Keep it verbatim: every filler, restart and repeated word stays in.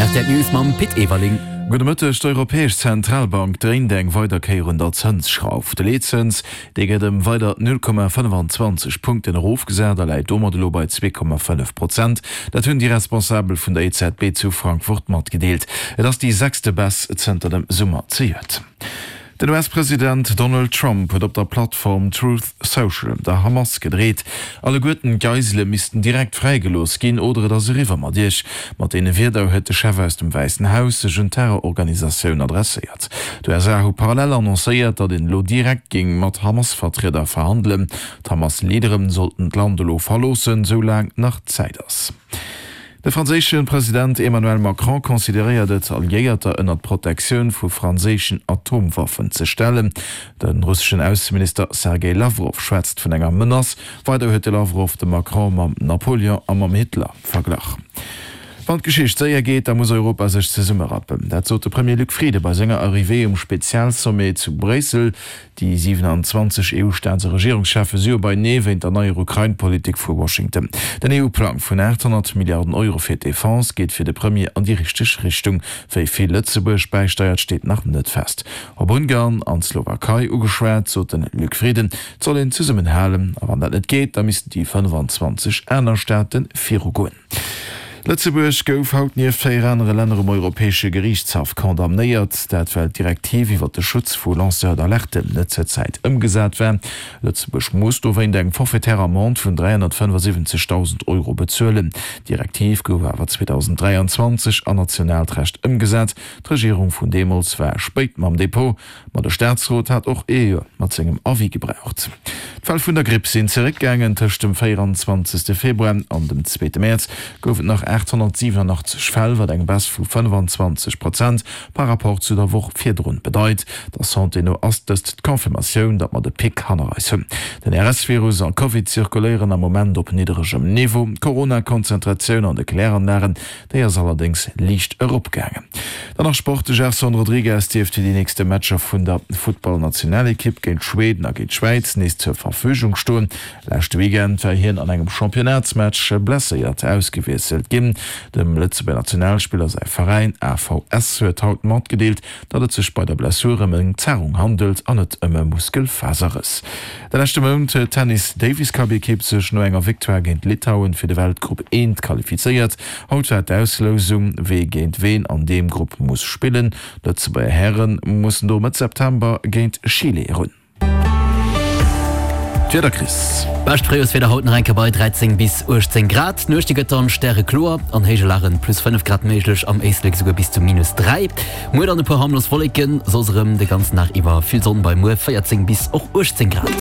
Rtl News mam Pit Everling. Gudde Mëtteg, D'Europäesch Zentralbank dréint eng weider Kéier un der Zënsschrauf. De Leetzëns, dee gëtt ëm weider null Komma fënnfanzwanzeg Punkten erofgesat a läit domat elo bei zwee Komma fënnef Prozent. Dat hunn déi Responsabel vun der E Z B zu Frankfurt matgedeelt. Et ass déi sechste Baisse zënter dem Summer zejoert. Den U S-President Donald Trump huet op der Plattform Truth Social der Hamas gedreet. Alleguerten d'Geisele missten direkt fräigelooss ginn oder et ass eriwwer mat iech. Mat deene Wierder huet de Chef aus dem Wäissen Haus sech un d'Terrororganisatioun adresséiert. D'U S A hu parallel annoncéiert, datt een elo direkt géing mat Hamas-Vertrieder verhandelen. D'Hamas-Leadere sollten d'Land elo verloossen, sou laang nach Zäit ass. De franséische President Emmanuel Macron consideréiert et, Alliéierter ënner d'Protektioun vu franséischen Atomwaffen ze stellen. De russeschen Ausseminister Sergei Lawrow schwätzt vun enger Menace. Weider huet de Lawrow de Macron mam Napoleon a mam Hitler verglach. Wann d'Geschicht séier geet, da muss Europa sech zesummerappen. Dat sot de Premier Luc Frieden bei senger Arrivée um Spezialsommet zu Bréissel. Déi siewenanzwanzeg E U-Staats a Regierungscheffe si jo beienee wéint der neier Ukrain-Politik vu Washington. Den E U-Plang vun aathonnert Milliarden Euro fir d'Defense geet fir de Premier an déi richteg Richtung. Wéi vill Lëtzebuerg bäisteiert, steet nach net fest. Op Ungarn an d'Slowakei ugeschwat, sot de Luc Frieden, et soll een zesummenhalen a wann dat net geet, da missten déi fënnefanzwanzeg aner Staate virugoen. Lëtzebuerg gouf haut nieft véier anere Länner um Europäesche Geriichtshaff condamnéiert. Dat well d'Direktiv iwwer de Schutz vu Lanceurs d'alerte net zur Zäit ëmgesat war. Lëtzebuerg muss dowéint eng forfaitaire Amende vun dräihonnertfënnefasiwwenzegdausend Euro bezuelen. D'Direktiv gouf awer zweedausendräianzwanzeg an nationaalt Recht ëmgesat. D'Regierung vun deemools war spéit mam Depot, ma de Staatsrot hat och ee Joer mat sengem Avis gebraucht. D'Fäll vun der Gripp sinn zeréckgaangen. Tëscht dem véieranzwanzegste Februar an dem zweete Mäerz gouf et nach aathonnertsiwenunachtzeg Fäll, wat eng Baisse vu fënnefanzwanzeg Prozent par Rapport zu der Woch virdrun bedeit. Der Santé no ass dëst d'Confirmatioun, datt mer de Pic hanner eis hunn. Den R S-Virus a Covid zirkuléieren am Moment op nidderegem Niveau. D'Corona-Konzentratioun an de Kläranlagen, déi ass allerdéngs liicht eropgaangen. Dann nach Sport, De Gerson Rodrigues dierft fir déi nächste Matcher vun der Futtballnationalekipp géint Schweden a géint d'Schwäiz nees zur Verfügung stoen. Leschte Weekend war hien an engem Championnatsmatch blesséiert ausgewiesselt ginn. Dem Lëtzebuerger Nationalspiller säi Veräin A V S huet haut matgedeelt, datt et sech bei der Blessur ëm eng Zerrung handelt an net ëm e Muskelfaserrëss. De leschte Mount huet d'Tennis-Davis-Cup-Ekipp sech no enger Victoire géint Litauen fir de Weltgrupp eent qualifizéiert. Haut war d'Auslousung, wee géint ween an deem Grupp muss spillen. D'Lëtzebuerger Häre mussen do Mëtt September géint Chile erun. D'Wieder, Chris. Bescht Fréijorswieder haut nach eng Kéier bei dräizéng bis uechtzéng Grad. D'Nuecht déi gëtt dann stärekloer, an héije Lagen plus fënnef Grad méiglech, am Éislek esouguer bis zu minus dräi. Muer dann e puer harmlos Wolleken, soss erëm de ganzen Dag iwwer vill Sonn bei muer véierzéng bis och uechtzéng Grad.